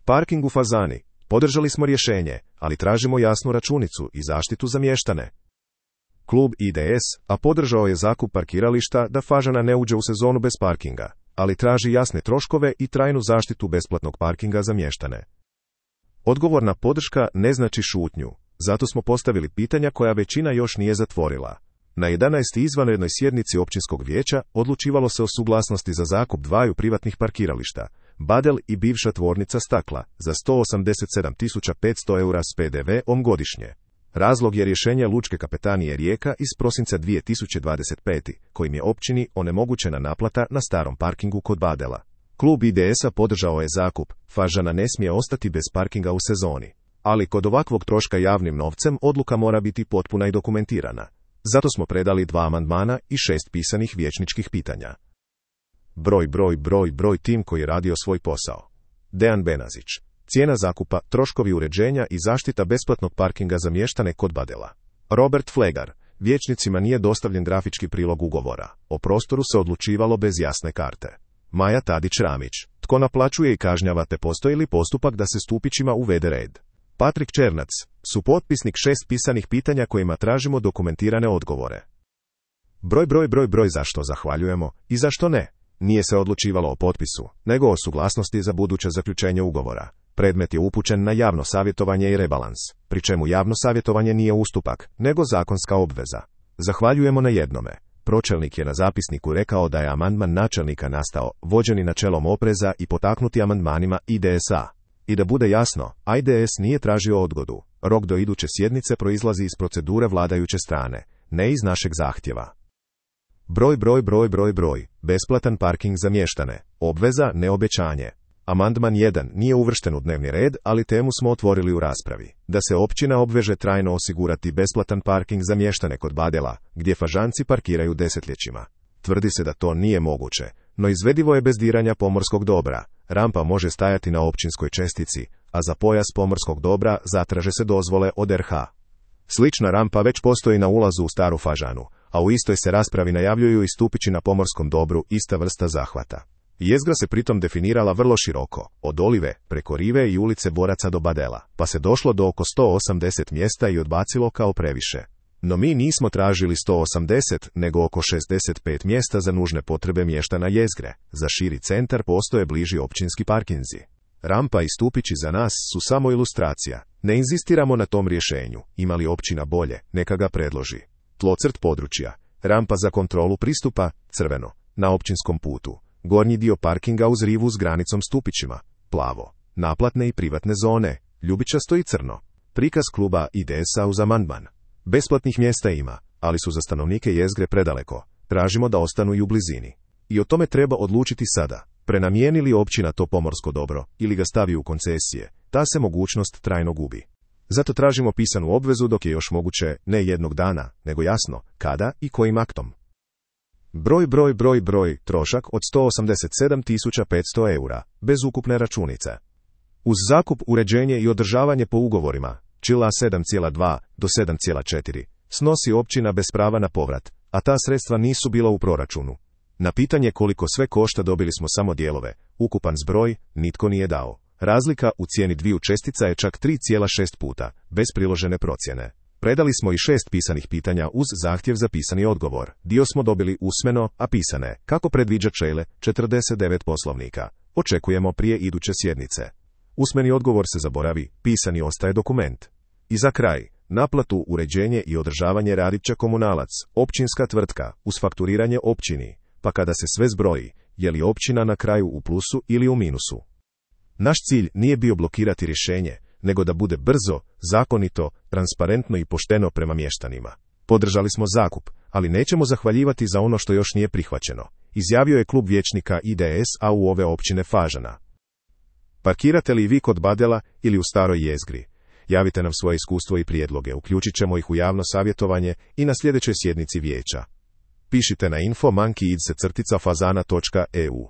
Parking u Fazani. Podržali smo rješenje, ali tražimo jasnu računicu i zaštitu za mještane. Klub IDS, a podržao je zakup parkirališta da Fažana ne uđe u sezonu bez parkinga, ali traži jasne troškove i trajnu zaštitu besplatnog parkinga za mještane. Odgovorna podrška ne znači šutnju, zato smo postavili pitanja koja većina još nije zatvorila. Na 11. izvanrednoj sjednici općinskog vijeća odlučivalo se o suglasnosti za zakup dvaju privatnih parkirališta, Badel i bivša tvornica stakla, za 187.500 eura s PDV-om godišnje. Razlog je rješenje Lučke kapetanije Rijeka iz prosinca 2025. kojim je općini onemogućena naplata na starom parkingu kod Badela. Klub IDS-a podržao je zakup, Fažana ne smije ostati bez parkinga u sezoni. Ali kod ovakvog troška javnim novcem odluka mora biti potpuna i dokumentirana. Zato smo predali 2 amandmana i 6 pisanih vijećničkih pitanja. Broj tim koji je radio svoj posao. Dejan Benazić. Cijena zakupa, troškovi uređenja i zaštita besplatnog parkinga za mještane kod Badela. Robert Flegar. Vijećnicima nije dostavljen grafički prilog ugovora. O prostoru se odlučivalo bez jasne karte. Maja Tadić-Ramić. Tko naplaćuje i kažnjava te postoji li postupak da se stupićima uvede red? Patrik Černac. Supotpisnik 6 pisanih pitanja kojima tražimo dokumentirane odgovore. Broj zašto zahvaljujemo i zašto ne? Nije se odlučivalo o potpisu, nego o suglasnosti za buduće zaključenje ugovora. Predmet je upućen na javno savjetovanje i rebalans, pri čemu javno savjetovanje nije ustupak, nego zakonska obveza. Zahvaljujemo na jednome. Pročelnik je na zapisniku rekao da je amandman načelnika nastao, vođeni načelom opreza i potaknuti amandmanima IDS-a. I da bude jasno, IDS nije tražio odgodu. Rok do iduće sjednice proizlazi iz procedure vladajuće strane, ne iz našeg zahtjeva. Broj. Besplatan parking za mještane. Obveza, ne obećanje. Amandman 1 nije uvršten u dnevni red, ali temu smo otvorili u raspravi. Da se općina obveže trajno osigurati besplatan parking za mještane kod Badela, gdje Fažanci parkiraju desetljećima. Tvrdi se da to nije moguće, no izvedivo je bez diranja pomorskog dobra. Rampa može stajati na općinskoj čestici, a za pojas pomorskog dobra zatraže se dozvole od RH. Slična rampa već postoji na ulazu u Staru Fažanu, a u istoj se raspravi najavljuju i stupići na pomorskom dobru, ista vrsta zahvata. Jezgra se pritom definirala vrlo široko, od Olive, preko Rive i ulice Boraca do Badela, pa se došlo do oko 180 mjesta i odbacilo kao previše. No mi nismo tražili 180, nego oko 65 mjesta za nužne potrebe mještana jezgre. Za širi centar postoje bliži općinski parkinzi. Rampa i stupići za nas su samo ilustracija. Ne inzistiramo na tom rješenju. Ima li općina bolje, neka ga predloži. Tlocrt područja. Rampa za kontrolu pristupa, crveno, na općinskom putu. Gornji dio parkinga uz rivu s granicom stupićima, plavo. Naplatne i privatne zone, ljubičasto i crno. Prikaz kluba IDS-a uz amandman. Besplatnih mjesta ima, ali su za stanovnike jezgre predaleko. Tražimo da ostanu i u blizini. I o tome treba odlučiti sada. Prenamijeni li općina to pomorsko dobro ili ga stavi u koncesije, ta se mogućnost trajno gubi. Zato tražimo pisanu obvezu dok je još moguće, ne jednog dana, nego jasno, kada i kojim aktom. Broj, trošak od 187.500 eura, bez ukupne računice. Uz zakup, uređenje i održavanje po ugovorima, čila 7,2 do 7,4, snosi općina bez prava na povrat, a ta sredstva nisu bila u proračunu. Na pitanje koliko sve košta dobili smo samo dijelove, ukupan zbroj nitko nije dao. Razlika u cijeni dviju čestica je čak 3,6 puta, bez priložene procjene. Predali smo i 6 pisanih pitanja uz zahtjev za pisani odgovor. Dio smo dobili usmeno, a pisane, kako predviđa čl. 49 Poslovnika. Očekujemo prije iduće sjednice. Usmeni odgovor se zaboravi, pisani ostaje dokument. I za kraj, naplatu, uređenje i održavanje radit će komunalac, općinska tvrtka, uz fakturiranje općini, pa kada se sve zbroji, je li općina na kraju u plusu ili u minusu. Naš cilj nije bio blokirati rješenje, nego da bude brzo, zakonito, transparentno i pošteno prema mještanima. Podržali smo zakup, ali nećemo zahvaljivati za ono što još nije prihvaćeno, izjavio je klub vijećnika IDS-a u ove općine Fažana. Parkirate li vi kod Badela ili u Staroj jezgri? Javite nam svoje iskustvo i prijedloge, uključit ćemo ih u javno savjetovanje i na sljedećoj sjednici vijeća. Pišite na info@fazana.eu.